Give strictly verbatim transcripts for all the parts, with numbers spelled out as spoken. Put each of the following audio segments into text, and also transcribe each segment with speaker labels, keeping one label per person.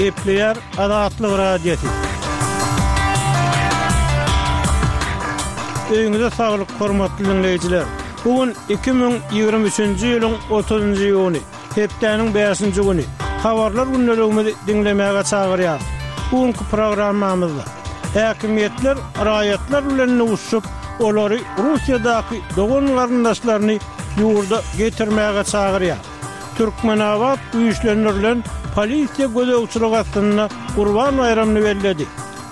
Speaker 1: Gepleýär Azatlyk Radiosy. Öýüňize saglyk, hormatly diňleýjiler! Bu gün iki müň ýigrimi üçünji ýylyň otuzynjy iýuny, hepdäniň bäşinji güni. Habarlar gündeligimizi diňlemäge çagyrýarys. Bu günki programmamyzda häkimiýetler raýatlar bilen duşuşyp, olary Russiýadaky dogan-garyndaşlaryny ýurda getirmäge çagyrýar. Türkmenabat güýçlendirilen polisiýa gözegçiligi astynda Gurban baýramyny belledi.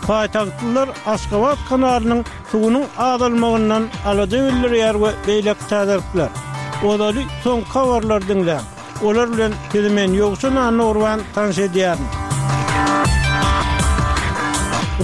Speaker 1: Paýtagtlylar Aşgabat kanalynyň suwunyň azalmagyndan alada bildirýär we beýleki täzelikler. Ozaly soňky habarlary diňläň. Olar bilen sizi men Ýowşan Annagurban tanyş edýärin.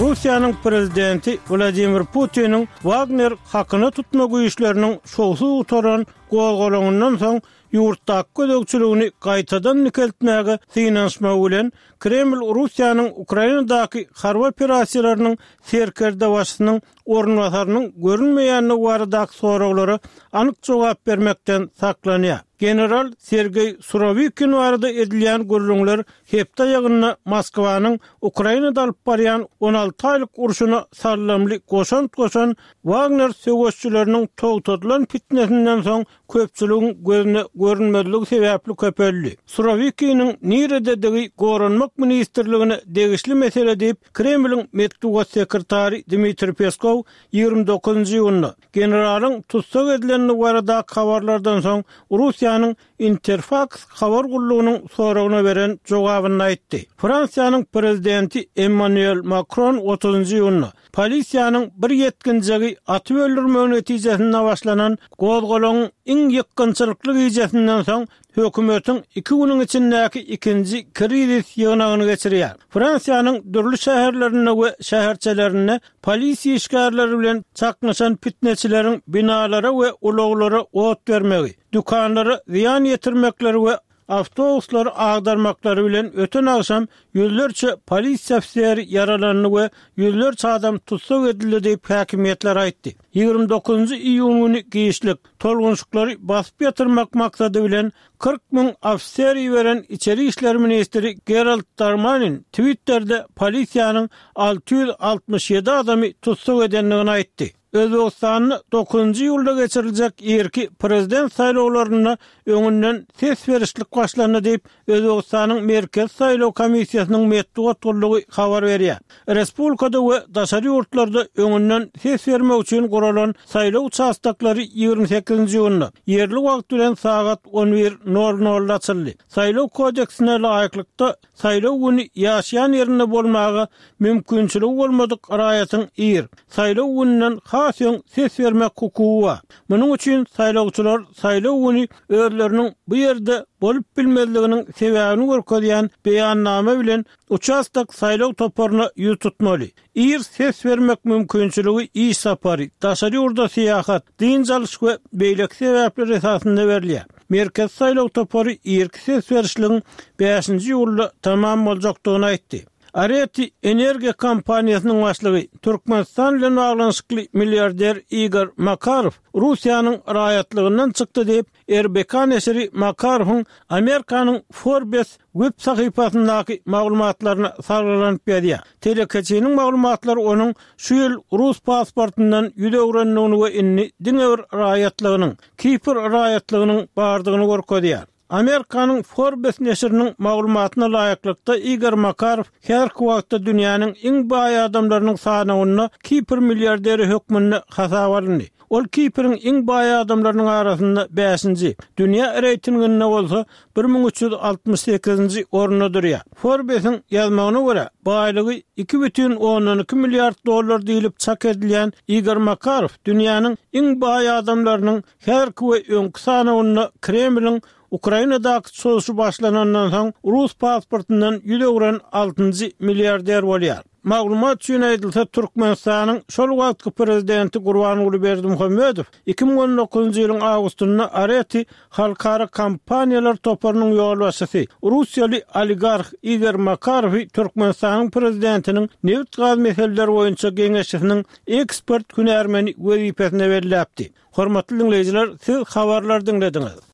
Speaker 1: Russiýanyň prezidenti Wladimir Putiniň Wagner hakyna tutma güýçleriniň şowsuz gutaran gozgalaňyndan soň ýurtdaky gözegçiligini gaýtadan dikeltmäge synanyşmagy bilen Kreml Russiýanyň Ukrainadaky harby operasiýalarynyň serkerdebaşysynyň orunbasarynyň görünmeýändigi baradaky soraglara anyk jogap bermekden saklanýar. General Sergeý Surowikin barada edilýän gürrüňler hepde aýagynda Moskwanyň Ukrainada alyp barýan on alty aýlyk urşuna saldamly goşant goşan Wagner söweşçileriniň togtadylan pitnesinden soň köpçüligiň gözüne görünmezligi sebäpli köpeldi. Surowikiniň nirededigi Goranmak ministrligine degişli mesele diýip, Kremliň metbugat sekretary Dmitriý Peskow ýigrimi dokuzynjy iýunda, generalyň tussag edilendigi baradaky habarlardan soň Russiýanyň Interfaks habar gullugynyň soragyna beren jogabynda aýtdy. Fransiýanyň prezidenti Emmanuel Makron otuzynjy iýunda, Polisiýanyň bir ýetginjegi atyp öldürmegi netijesinde başlanan gozgalaňyň iň ýykgynçylykly gijesinden soň hökümetiň iki günüň içindäki ikinji krizis ýygnagyny geçirýär. Fransiýanyň dürli şäherlerinde we şäherçelerinde polisiýa işgärleri bilen çaknyşan pitneçileriň binalara we ulaglara ot bermegi, dükanlara zyýan ýetirmekleri we awtobuslary agdarmaklary bilen öten agşam ýüzlerçe polisiýa ofiseri ýaralandy we ýüzlerçe adam tussag edildi diýip, häkimiýetler aýtdy. Ýigrimi dokuzynjy iýun güni giçlik, tolgunşyklary basyp ýatyrmak maksady bilen kyrk müň ofiser iberen içeri işler ministri Gerald Darmanin Twitterde polisiýanyň alty ýüz altmyş ýedi adamy tussag edendigini aýtdy. Özbegistanda dokuzynjy iýulda geçiriljek irki prezident saýlawlarynda öňünden ses berişlik başlandy diýip, Özbegistanyň Merkezi saýlaw komissiýasynyň metbugat gullugy habar berýär. Respublikada we daşary ýurtlarda öňünden ses bermek üçin guralan saýlaw uçastoklary ýigrimi sekizinji iýunda, ýerli wagt bilen sagat on bir nol nolda açyldy. Saýlaw kodeksine laýyklykda, Saýlaw güni ýaşaýan ýerinde bolmaga mümkinçiligi bolmadyk raýatyň ir, saýlaw gününden has öň ses bermek hukugy bar. Munuň üçin saýlawçylar saýlaw güni özleriniň bu ýerde bolup bilmezliginiň sebäbini görkezýän beýannama bilen uçastok saýlaw toparyna ýüz tutmaly. Ir ses bermek mümkinçiligi iş sapary, daşary ýurda syýahat, dynç alyş we beýleki sebäpler esasynda berilýär. Merkezi saýlaw topary irki ses berişligiň bäşinji iýulda tamam boljakdygyny aýtdy. Areti energiýa kompaniýasynyň başlygy, Türkmenistan bilen baglanyşykly milliarder Igor Makarow Russiýanyň raýatlygyndan çykdy diýip, R B K neşiri Makarowyň Amerikanyň Forbes web sahypasyndaky maglumatlaryna salgylanyp ýazýar. Telekeçiniň maglumatlary onuň şu ýyl rus pasportyndan ýüz öwrendigini we indi diňe bir raýatlygynyň, Kipr raýatlygynyň bardygyny görkezýär. Amerikanyň Forbes neşiriniň maglumatyna laýyklykda, Igor Makarow häzirki wagtda dünýäniň iň baý adamlarynyň sanawynda Kipr milliarderi hökmünde hasaba alyndy. Ol Kipriň iň baý adamlarynyň arasynda bäşinji, dünýä reýtinginde bolsa bir müň üç ýüz altmyş sekizinji orunda durýar. Forbesiň ýazmagyna görä, baýlygy iki bütin ondan iki milliard dollar diýlip çak edilýän Igor Makarow dünýäniň iň baý adamlarynyň häzirki we öňki sanawynda Kremliň Ukrainadaky çozuşy başlanandan soň rus pasportyndan ýüz öwren altynjy milliarder bolýar. Maglumat üçin aýdylsa, Türkmenistanyň şol wagtky prezidenti Gurbanguly Berdimuhamedow iki müň on dokuzynjy ýylyň awgustynda Areti halkara kompaniýalar toparynyň ýolbaşçysy, russiýaly oligarh Igor Makarowy Türkmenistanyň prezidentiniň nebit-gaz meseleleri boýunça geňeşçisiniň ekspert hünärmeni wezipesine belläpdi. Hormatly diňleýjiler, siz habarlary diňlediňiz.